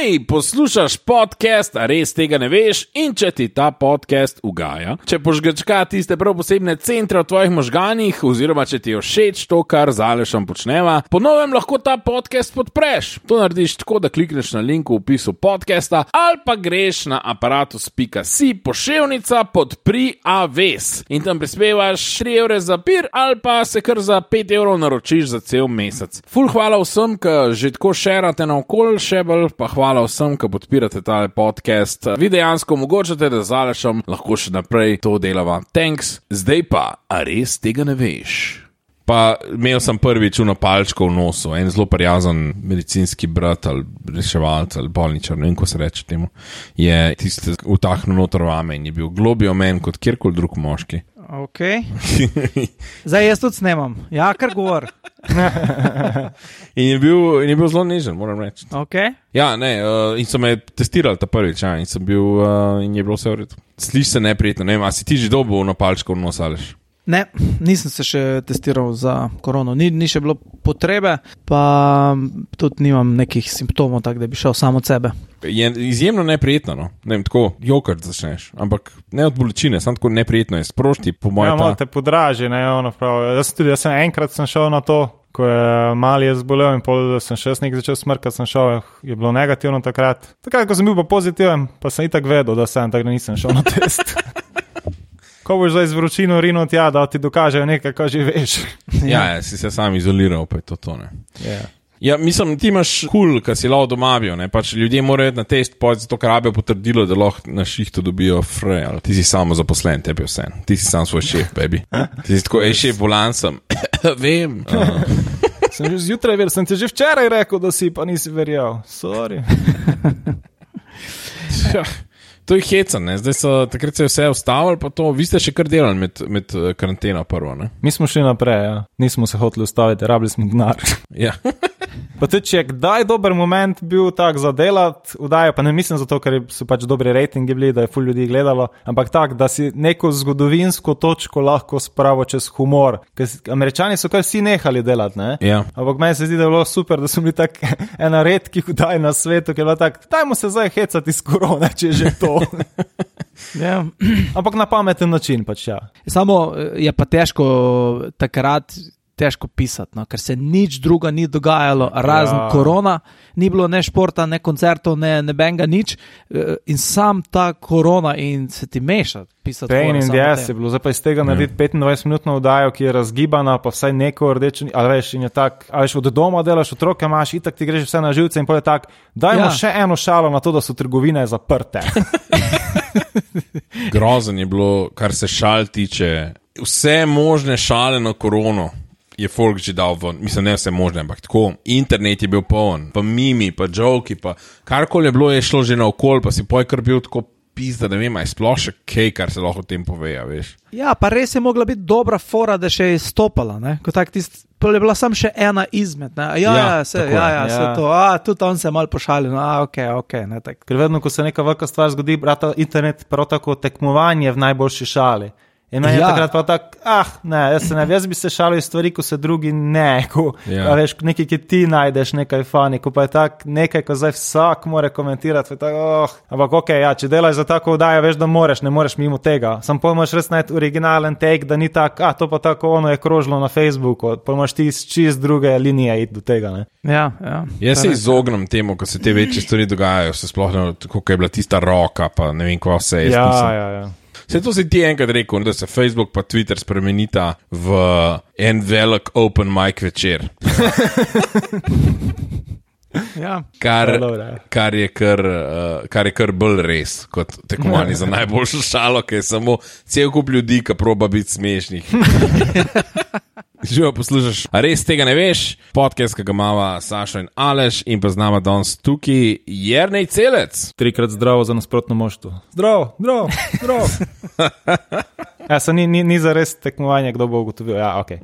Hej, poslušaš podcast, a res tega ne veš, in če ti ta podcast ugaja, če požgečka tiste prav posebne centre v tvojih možganih, oziroma če ti je všeč to, kar z Alešem počneva, po novem lahko ta podcast podpreš. To narediš tako, da klikneš na link v opisu podcasta ali pa greš na aparatus.si poševnica podpri aves in tam prispevaš 3 evre za pir ali pa se kar za 5 evrov naročiš za cel mesec. Ful hvala vsem, ki že tako šerate naokol, še bolj pa hvala vsem, ki podpirate tale podcast. Vi dejansko omogočate, da z Alešem lahko še naprej to delava. Thanks. Zdaj pa, a res tega ne veš? Pa imel sem prvič uno palčko v nosu, en zelo prijazen medicinski brat ali reševalc ali bolničar, ne vem, ko se reče temu, je tiste vtahnil noter vame in je bil globlji omen kot kjerkoli drug moški. Ok. Zdaj jaz tudi snemam. Ja, kar govor. in je bil zelo nežen, moram reči. Ok. Ja, ne, in so me testirali ta prvič, ja, in sem bil, in je bilo vse v redu. Sliši se neprijetno, ne vem, a si ti že dobil na palčko v nos, Aleš? Ne, nisem se še testiral za korono, ni še bilo potrebe, pa tudi nimam nekih simptomov, tako da bi šel samo od sebe. Je izjemno neprijetno, no? Ne vem, tako jokart začneš, ampak ne od bolečine, samo tako neprijetno je, sprošti po moje. Ja, malo te podraži, ne, ono prav. Jaz sem enkrat šel na to, ko je mali je zbolel in pol sem še nekaj začel smrkati, sem šel, je bilo negativno takrat. Takrat, ko sem bil pa pozitiven, pa sem itak vedel, da sem, tako da nisem šel na test. Ko boš zdaj z vročino rinil tja, da ti dokažejo nekaj, ko že veš. Ja, si se sam izoliral, pa je to ne. Yeah. Ja, mislim, ti imaš kar si lahko doma bil, ne, pač ljudje morajo na test pojeti zato, ker rabijo potrdilo, da lahko na šihtu dobijo free, ali ti si samo zaposlen, tebi vse, ti si sam svoj šef, baby. Ti si tako, šef, volan sem. Vem. Sem že zjutraj verjel, sem ti že včeraj rekel, da si, pa nisi verjel. Sorry. To je heca, ne? Zdaj so, takrat se je vse ustavili, pa to, vi ste še kar delali med karanteno prvo, ne? Mi smo šli naprej, ja. Nismo se hoteli ustaviti, rabili smo denar. Ja. Pa tudi, če je kdaj dober moment bil tak za delati, vdajo, pa ne mislim zato, ker so pač dobri rejtingi bili, da je ful ljudi gledalo, ampak tak, da si neko zgodovinsko točko lahko spravo čez humor. Ker Američani so kar vsi nehali delati, ne? Ja. Ampak meni se zdi, da je bilo super, da so bili tak ena redkih vdaj na svetu, ker je bilo tak, dajmo se zdaj hecati iz korone, če je že to. Ja. Ampak na pameten način pač, ja. Samo je pa takrat težko pisati, no? Ker se nič druga ni dogajalo, razen korona, ni bilo ne športa, ne koncertov, ne benga, nič, in sam ta korona in se ti meša pisati. Pain in the ass je bilo, zdaj pa iz tega narediti 25-minutno vdajo, ki je razgibana, pa vsaj neko rdečo, ali veš, in je tak, ali veš, od doma delaš, otroke imaš, itak ti greš vse na živce in potem je tak, dajmo še eno šalo na to, da so trgovine zaprte. Grozen je bilo, kar se šal tiče, vse možne šale na korono je folk že dal ven, mislim, ne vse možne, ampak tako, internet je bil poln, pa mimi, pa joki, pa karkoli je bilo, je šlo že naokol, pa si poj kar bil tako pizda, ne vem, aj sploh še kaj, kar se lahko o tem poveja, veš. Ja, pa res je mogla biti dobra fora, da še je stopala, ne, kot tak je bila sam še ena izmed, ne, se to, tudi on se je malo pošalil, no, ok, ne, tak. Ker vedno, ko se neka velika stvar zgodi, brata, internet prav tako tekmovanje v najboljši šali. In meni je takrat pa tak, jaz bi se šalil iz stvari, ko se drugi ne, veš, nekaj, ki ti najdeš nekaj fani, ko pa je tak nekaj, ko zdaj vsak more komentirati, ampak če delaš za tako vdajo, veš, da ne moreš mimo tega, sam pojmaš res najti originalen take, da ni tak, to pa tako ono je krožilo na Facebooku, pojmaš ti iz čist druge linije iti do tega, ne. Ja. Jaz se izognem temu, ko se te večje stvari dogajajo, se sploh ne, kako je bila tista roka, pa ne vem, kva vse je. Ja. Se to si ti enkrat rekel, da se Facebook pa Twitter spremenita v en velik open mic večer. Ja. Kar je kar bolj res kot tekmovanje za najboljšo šalo, ki je samo cel kup ljudi, ki proba biti smešnih. Živo poslušaš, a res tega ne veš? Podcast, ki ga imava Sašo in Aleš in pa z nama danes tukaj Jernej Celec. 3-krat zdravo za nasprotno moštvo. Zdravo. Ja, ni za res tekmovanje, kdo bo ugotovil. Ja, okay.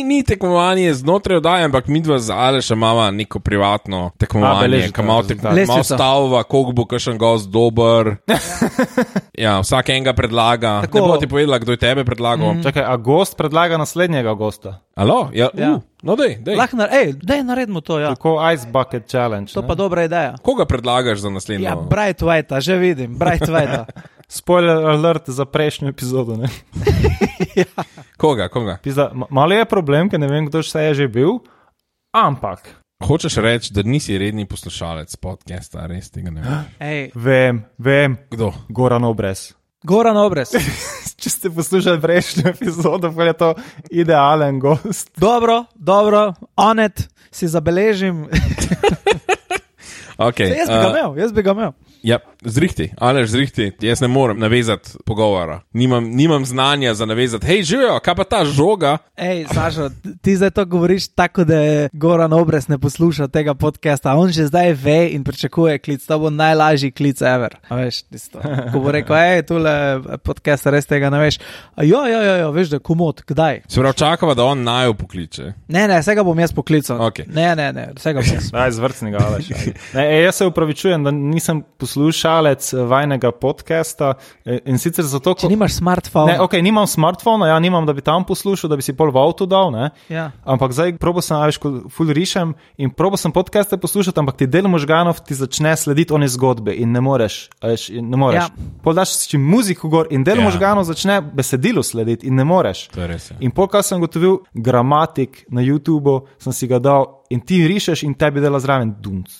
Ni tekmovanje znotraj oddaje, ampak midva z Alešem imava neko privatno tekmovanje, ki malo stavova, koliko bo kakšen gost dober. Ja, vsak enega predlaga. Tako, ne bo ti povedala, kdo je tebe predlagal. Čakaj, a gost predlaga naslednjega gosta? Alo? Ja. No dej. Dej naredimo to, ja. Tako Ice Bucket Challenge. To pa dobra ideja. Koga predlagaš za naslednjo? Ja, Bright White, že vidim, Bright White. Spoiler alert za prejšnjo epizodo, ne? Ja. Koga? Pizda, malo je problem, ker ne vem, kdo še je že bil, ampak... Hočeš reči, da nisi redni poslušalec podcasta, res tega ne vem. Vem. Kdo? Goran Obrez. Če ste poslušali prejšnjo epizodo, pa je to idealen gost. Dobro, Onet, si zabeležim. Okay, jaz bi ga imel. Ja, zrihti, jaz ne morem navezati pogovora. Nimam znanja za navezati. Hej, živijo, kaj pa ta žoga? Sašo, ti zdaj to govoriš tako, da Goran Obrez ne posluša tega podcasta. On že zdaj ve in pričakuje klic. To bo najlažji klic ever. A veš, tisto. Ko bo rekel, tule podcast res tega ne veš. Jo, veš, da je komod, kdaj? Se pravi, čakava, da on naju pokliče. Ne, vsega bom jaz poklical. Okay. Ne, vsega bom jaz. Daj, zvrcnega, Aleš. Jaz se upravičujem, da nisem poslušalec vajnega podcasta in sicer zato, če nimaš smartphone. Ne, nimam smartphone, nimam, da bi tam poslušal, da bi si pol v avtu dal, ne? Ja. Ampak zdaj probo sem, ko ful rišem in probo sem podcaste poslušati, ampak ti del možganov ti začne slediti one zgodbe in ne moreš. Ja. Pol daš čim muziko gor in del možganov začne besedilo slediti in ne moreš. To je res. In pol, kaj sem gotovil, gramatik na YouTubeu, sem si ga dal in ti rišeš in tebi dela zraven.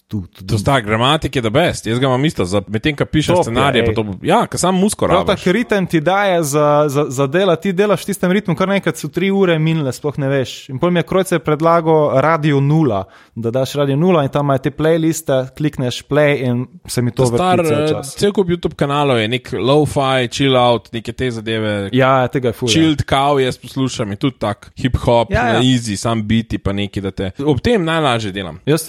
To sta gramatik je the best. Jaz ga imam isto, medtem, ko pišeš scenarije, pa to bo, ka sam musko rabiš. Prav tak ritem ti daje za dela, ti delaš v tistem ritmu, kar nekaj so 3 ure minile, sploh ne veš. In potem je Krojce predlagal Radio 0, da daš Radio 0 in tam imajo te playliste, klikneš play in se mi to vrti cel čas. Cel kup YouTube kanalov je nek lo-fi, chill out, neke te zadeve. Ja, tega je ful. Chilled cow jaz poslušam in tudi tak hip-hop, na easy, sam biti pa neki, da te ob tem najlažje delam. Jaz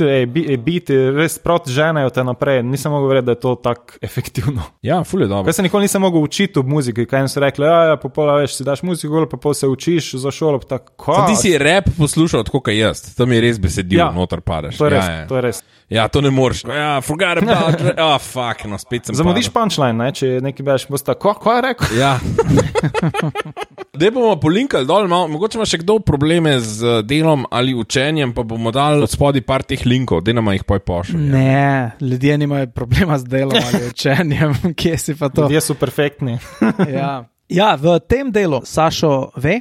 biti res proti ženajo te naprej, nisem mogel verjeti, da je to tako efektivno. Ja, ful je dobro. Jaz se nikoli nisem mogel učiti v muziki, kaj jim so rekli, pa pola veš, si daš muziko, pa pol se učiš za šolo, pa tako. Ti si rap poslušal tako, kaj jaz, tam je res besedil, noter padeš. To je res. Ja, to ne moreš. Forgot about it. Fuck, no, spet sem zamudiš punchline, ne, če nekaj beš, boš tako, kaj je rekel? Ja. Dej bomo polinkali dol, mogoče ima še kdo probleme z delom ali učenjem, pa bomo dali od spodi par teh linkov, dej nama jih pošli. Ne, ljudje nimajo problema z delom ali učenjem, kje si pa to? Ljudje so perfektni. Ja, v tem delu Sašo ve,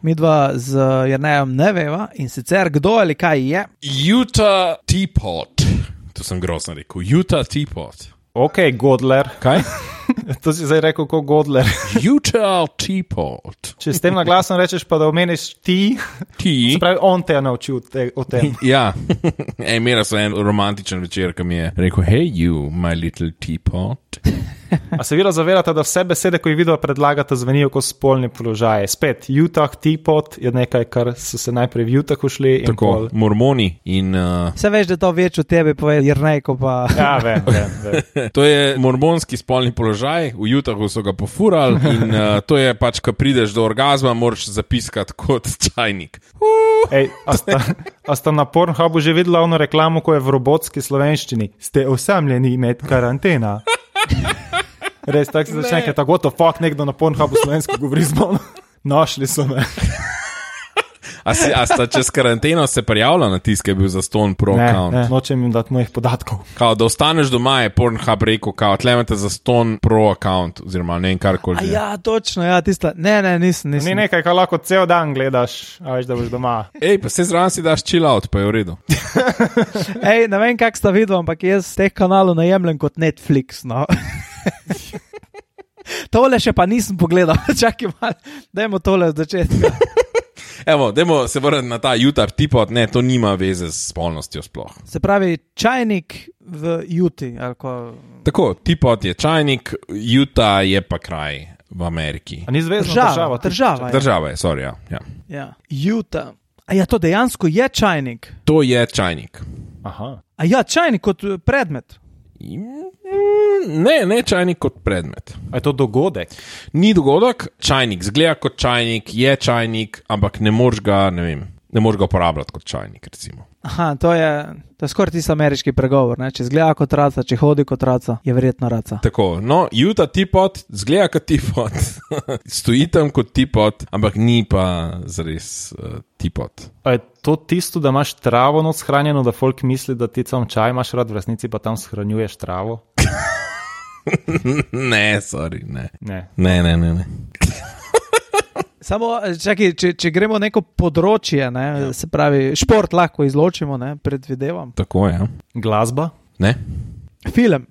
midva z Jernejem ne veva in sicer kdo ali kaj je. Utah Teapot. To sem grozno rekel. Utah Teapot. Ok, Godler. Kaj? To si zdaj rekel kot Godler. Utah Teapot. Če s tem naglasom rečeš pa, da omeniš ti, se pravi, on te je naučil o tem. Ja, imela sem en romantičen večer, ki mi je rekel, hey you, my little teapot. A se vidno zavedate, da vse besede, ko jih video predlagate, zvenijo kot spolni položaje. Spet, Utah Teapot je nekaj, kar so se najprej v Utahu šli. Tako, mormoni in... Se veš, da to več od tebe pove Jernejko pa... Ja, vem. To je mormonski spolni položaj, v Utahu so ga pofurali in to je pač, ko prideš do orgazma, moraš zapiskati kot čajnik. Ej, a sta na Pornhubu že videla ono reklamo, ko je v robotski slovenščini? Ste osamljeni med karantena. Res, tako se začne, ker tako, what the fuck, nekdo na Pornhubu slovensko govori z mano. Našli so me. A sta čez karanteno se prijavila na tiske, je bil za Stone Pro account? Ne, nočem jim dati mojih podatkov. Kao, da ostaneš doma, je Pornhub rekel, kao, tlemete za Stone Pro account, oziroma ne vem karkoli. Ja, točno, ja, tista, ne, nisem. Ni nekaj, kar lahko cel dan gledaš, a veš, da boš doma. Ej, pa se zraven si daš chill out, pa je v redu. Ej, ne vem, kak sta videl, ampak jaz teh kanalov najemljem kot Netflix, no. Tole še pa nisem pogledal, čakaj malo, dajmo tole od začetka. Evo, dajmo se vrniti na ta Utah Teapot, ne, to nima veze s spolnostjo sploh. Se pravi, čajnik v Uti, ali ko... Tako, Teapot je čajnik, Utah je pa kraj v Ameriki. A ni zvezna država? Država je, sorry, ja. Ja, Utah. A ja, to dejansko je čajnik? To je čajnik. Aha. A ja, čajnik kot predmet? Ne čajnik kot predmet. A je to dogodek? Ni dogodek, čajnik zgleda kot čajnik, je čajnik, ampak ne moreš ga uporabljati kot čajnik, recimo. Aha, to je skoraj tisti ameriški pregovor, ne? Če zgleda kot raca, če hodi kot raca, je verjetno raca. Tako, no, Utah teapot zgleda kot teapot, stoji tam kot teapot, ampak ni pa zares teapot. A je to tisto, da imaš travo not shranjeno, da folk misli, da ti sam čaj imaš rad, v resnici pa tam shranjuješ travo? Ne, sorry, ne. Ne. Samo, čakaj, če gremo neko področje, ne, se pravi, šport lahko izločimo, ne, predvidevam. Tako je. Glasba? Ne. Film.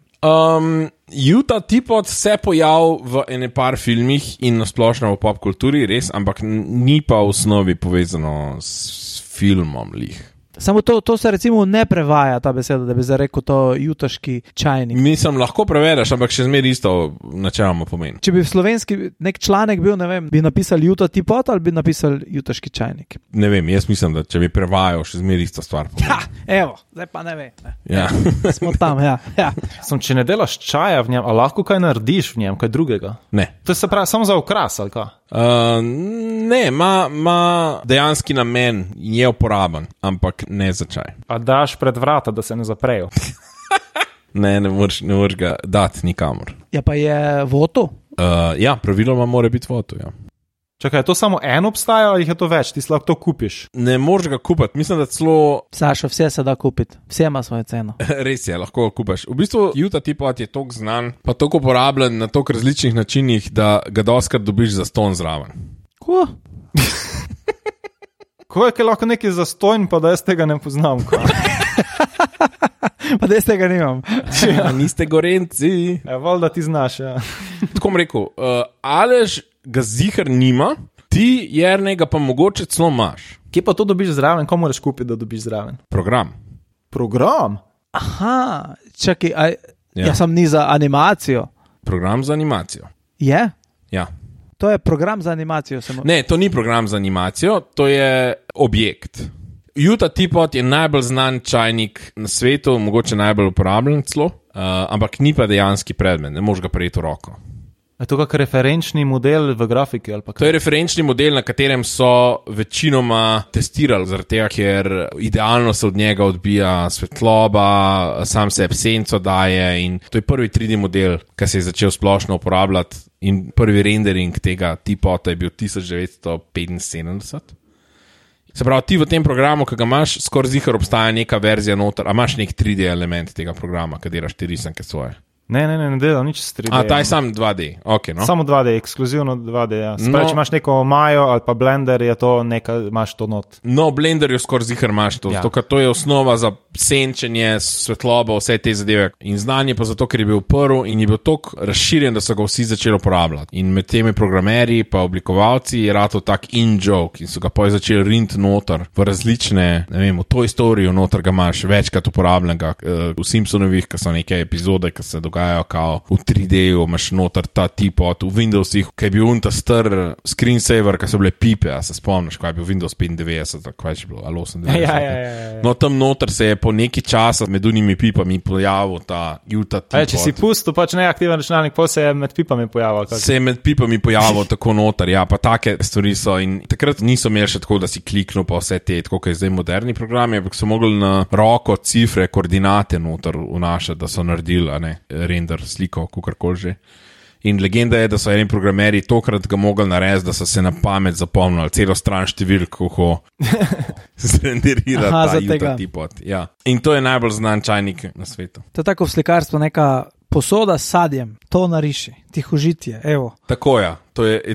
Utah teapot se pojavil v ene par filmih in nasplošno v pop kulturi, res, ampak ni pa v osnovi povezano s filmom lih. Samo to se recimo ne prevaja, ta beseda, da bi zdaj rekel to jutaški čajnik. Mislim, lahko prevedeš, ampak še zmeraj isto načeloma pomeni. Če bi v slovenski nek članek bil, ne vem, bi napisali Utah teapot ali bi napisali jutaški čajnik? Ne vem, jaz mislim, da če bi prevajal, še zmeraj isto stvar pomeni. Evo, zdaj pa ne ve. Ne. Ja. Smo tam, ja. Če ne delaš čaja v njem, a lahko kaj narediš v njem, kaj drugega? Ne. To se pravi samo za okras, ali kaj? Ne, ima dejanski namen, je uporaben, ampak ne za čaj. A daš pred vrata, da se ne zaprejo? Ne moreš ga dati nikamor. Ja, pa je voto? Ja, praviloma mora biti voto, ja. Čakaj, je to samo eno obstaja ali je to več? Ti si lahko to kupiš? Ne moreš ga kupiti, mislim, da celo... Sašo, vse se da kupiti, vse ima svojo ceno. Res je, lahko ga kupiš. V bistvu Utah teapot je toliko znan, pa toliko uporabljen na toliko različnih načinih, da ga doskrat dobiš za ston zraven. Ko? Ko je lahko nekaj zastojn, pa da jaz tega ne poznam, ko? Pa da jaz tega nimam. Ja, niste gorenci. Valjda ti znaš, ja. Tako bom rekel, Aleš ga zihar nima, ti Jernega pa mogoče celo imaš. Kje pa to dobiš zraven? Ko moraš kupiti, da dobiš zraven? Program. Aha, čakaj, ja sam ni za animacijo. Program za animacijo. Je? Ja. To je program za animacijo. Ne, to ni program za animacijo, to je objekt. Utah teapot je najbolj znan čajnik na svetu, mogoče najbolj uporabljen celo, ampak ni pa dejanski predmet, ne moreš ga prejeti v roko. Je to kak referenčni model v grafiki? Ali pa kaj? To je referenčni model, na katerem so večinoma testirali, zaradi tega, ker idealno se od njega odbija svetloba, sam se senco daje in to je prvi 3D model, ki se je začel splošno uporabljati in prvi rendering tega teapota je bil 1975. Se pravi, ti v tem programu, ki ga imaš, skoraj zihar obstaja neka verzija noter, a imaš nek 3D element tega programa, ki delaš te risanke svoje. Ne delam nič s 3D. A, ta je sam 2D, ok, no. Samo 2D, ekskluzivno 2D, ja. Spravi, če imaš neko Majo ali pa Blender, je to neka, imaš to not. No, Blender jo skoraj zihar imaš to, zato ker to je osnova za senčenje, svetlobo, vse te zadeve. In znanje pa zato, ker je bil prvi in je bil toliko razširjen, da so ga vsi začeli uporabljati. In med temi programerji pa oblikovalci je rato tak in-joke in so ga potem začeli rint noter v različne, ne vem, v Toy Story noter ga imaš večkrat uporabljenega, v Simpsonovih, ki so neke epizode, ki se dogajajo kao v 3D-ju, imaš noter ta teapot, v Windowsih, ki je bil ta star screensaver, ki so bile pipe, a se spomniš, ko je bil Windows 95, kaj je bilo, ali 98. Ja. No, tam noter se je po neki časa med unimi pipami pojavil ta Utah teapot. Če si pustil pač neaktiven računalnik, pa se je med pipami pojavil. Se je med pipami pojavil tako noter, ja, pa take stvari so in takrat niso imeli še tako, da si kliknil pa vse te, tako kot je zdaj moderni programi, ampak so mogli na roko cifre, koordinate noter vnašati, da so naredili, a ne, render sliko, kakorkoli že. In legenda je, da so eni programeri tokrat ga mogli narediti, da so se na pamet zapomnili celo stran številk, kako zrenderira ta Utah teapot. Ja. In to je najbolj znan čajnik na svetu. To je tako v slikarstvu neka posoda s sadjem, to nariši, tihožitje, evo. Tako je,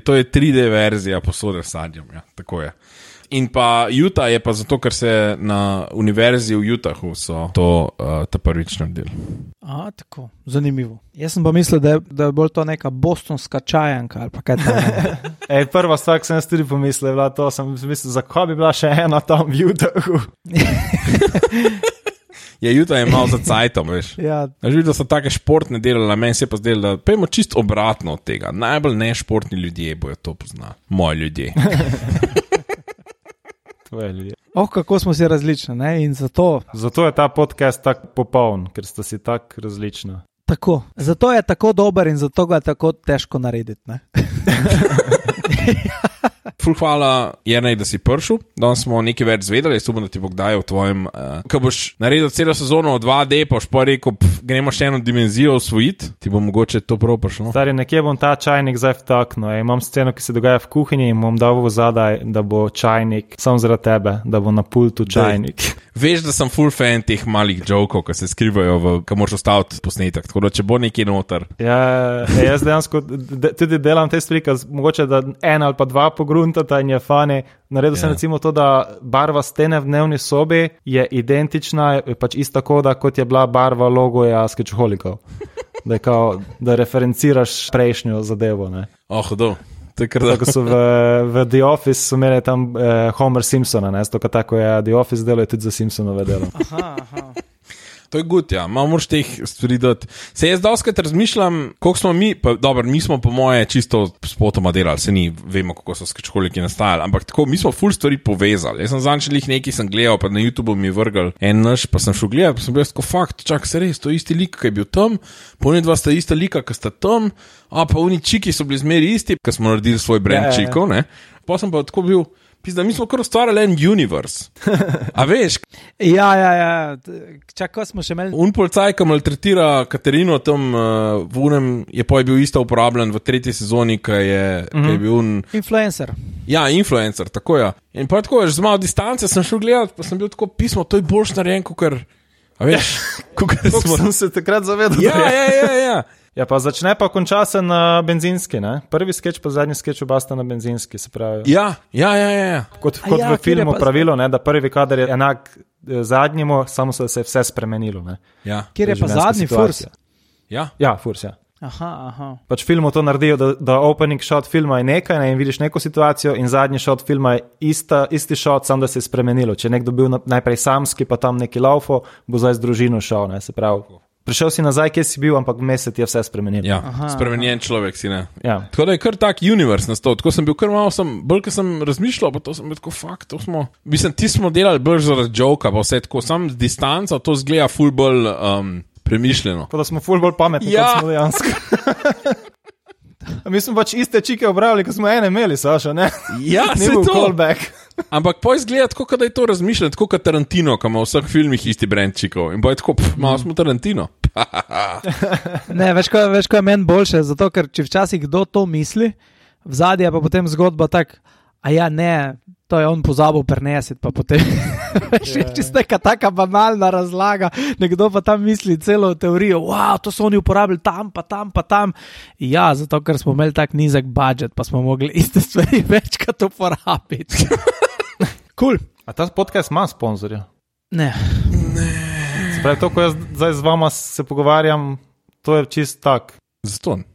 to je 3D verzija posode s sadjem, ja, tako je. In pa Utah je pa zato, ker se na univerzi v Utahu so to ta prvič naredili. A, tako, zanimivo. Jaz sem pa mislil, da je bolj to neka bostonska čajanka ali pa kaj tam. Prva stvar, ki sem jaz tudi pomislil, je bila to, sem mislil, zakaj bi bila še ena tam v Utahu. Ja, Utah je malo za cajtom, veš. Ja. Videl, da so take športne delali, meni se je pa zdelo, da pojmo čisto obratno od tega. Najbolj nešportni ljudje bojo to poznali. Moji ljudje. Kako smo si različni, ne? In zato je ta podcast tako popoln, ker sta si tako različna. Tako. Zato je tako dober in zato ga je tako težko narediti, ne? Ful hvala, Jernej, da si prišel. Danes smo nekaj več zvedeli, jaz upam, da ti bo kdaj v tvojem... ko boš naredil celo sezono 2D, pa boš pa rekel, gremo še eno dimenzijo osvojiti, ti bo mogoče to prav prišlo. Stari, nekje bom ta čajnik zdaj vtaknil. Imam sceno, ki se dogaja v kuhinji in bom dal v zadaj, da bo čajnik, samo zaradi tebe, da bo na pultu čajnik. Veš, da sem full fan teh malih jokov, ki se skrivajo, ki moraš ostaviti posnetek, tako da če bo nekaj noter. Ja, jaz dejansko tudi delam te stvari, mogoče da 1 ali pa 2 pogruntata in je fani. Naredil sem recimo to, da barva stene v dnevni sobi je identična, je pač ista koda, kot je bila barva logoja Sketchholikov. Da referenciraš prejšnjo zadevo, ne. Hudo. Tako so v The Office so imeli tam Homer Simpsona, ne, tako je The Office delo je tudi za Simpsonove delo. Aha. To je good, ja. Malo moraš teh stvari dati. Se jaz doskrat razmišljam, koliko smo mi, mi smo po moje čisto spotoma delali, se ni, vemo, kako so Sketchholiki nastajali, ampak tako, mi smo ful stvari povezali. Jaz sem zančelih nekaj sem gledal, pa na YouTube mi vrgal en naš, pa sem šel gledati, pa sem bil tako fakt, čak se res, to je isti lik, ki je bil tam, pa oni dva sta ista lika, ki sta tam, pa oni čiki so bili zmeri isti, ki smo naredili svoj brand čikov, ne. Pa sem pa tako bil, pizda, mi smo kar ustvarjali en universe. A veš? Ja. Čakaj, smo še imeli... Un policaj, ki maltretira Katarino tam v unem, je bil isto uporabljen v 3. sezoni, ki je bil un... Influencer. Ja, influencer, tako ja. In pa tako, z malo distance sem šel gledati, pa sem bil tako pismo, to je boljš narejen, kakor... A veš? Kako sem se takrat zavedal. Ja. Ja, pa začne pa konča se na benzinski, ne? Prvi skeč pa zadnji skeč oba sta na benzinski, se pravi. Ja. Kot v filmu pravilo, ne, da prvi kader je enak zadnjemu, samo se je vse spremenilo, ne. Ja. Kjer je pa zadnji furs? Ja, furs, ja. Aha. Pač v filmu to naredijo, da opening shot filma je nekaj, ne, in vidiš neko situacijo in zadnji shot filma je isti shot, samo da se je spremenilo. Če je nekdo bil najprej samski, pa tam neki laufo, bo zdaj z družino šel, ne, se pravi. Prišel si nazaj, kje si bil, ampak vmes ti je vse spremenilo. Ja, spremenjen človek si, ne. Ja. Tako da je kar tak universe nastal. Tako sem bil kar malo, bolj, ko sem razmišljal, pa to sem bil tako, fakt, to smo... Mislim, ti smo delali bolj zaradi joka, pa vse tako, sam z distanca, to zgleda ful bolj premišljeno. Tako da smo ful bolj pametni, kot smo dejansko. Mi smo pač iste čike obrali, ko smo ene imeli, Saša, ne? Ja, se to. Callback. Ampak poj zgleda tako, da je to razmišljeno, tako kot Tarantino, ki ima v vseh filmih isti brand čikov. In poj tako, malo smo Tarantino. Ne, veš, ko je meni boljše, zato ker če včasih kdo to misli, v zadnji je pa potem zgodba tak, to je on pozabil prenesiti, pa potem še čisto neka taka banalna razlaga, nekdo pa tam misli celo teorijo, to so oni uporabili tam, pa tam. Ja, zato ker smo imeli tak nizek budžet, pa smo mogli iste stvari večkrat uporabiti. Cool. A ta podcast ima sponzorja? Ne. Se pravi, to, ko jaz zdaj z vama se pogovarjam, to je čist tak. Zaston.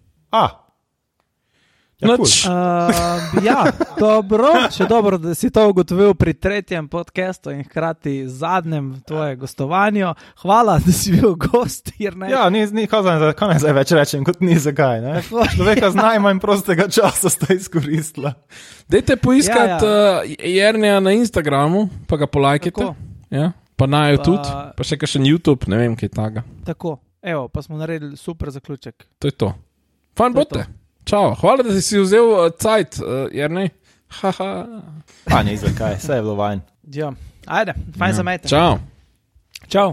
Dobro, še dobro, da si to ugotovil pri 3. podcastu in hkrati zadnjem tvoje gostovanju. Hvala, da si bil gost, Jernej. Ja, kaj naj zdaj več rečem, kot ni zakaj, ne? Človeka z najmanj prostega časa sta izkoristila. Dajte poiskati Jerneja na Instagramu, pa ga polajkite. Ja, pa na YouTube, pa še kakšen YouTube, ne vem, kaj taga. Tako, evo, pa smo naredili super zaključek. To je to. Fajn bote. Čau, hvala, da si vzel cajt, Jernej. Ni zakaj, vse je bilo vajn. Ja, ajde, fajn za mejte. Čau. Čau.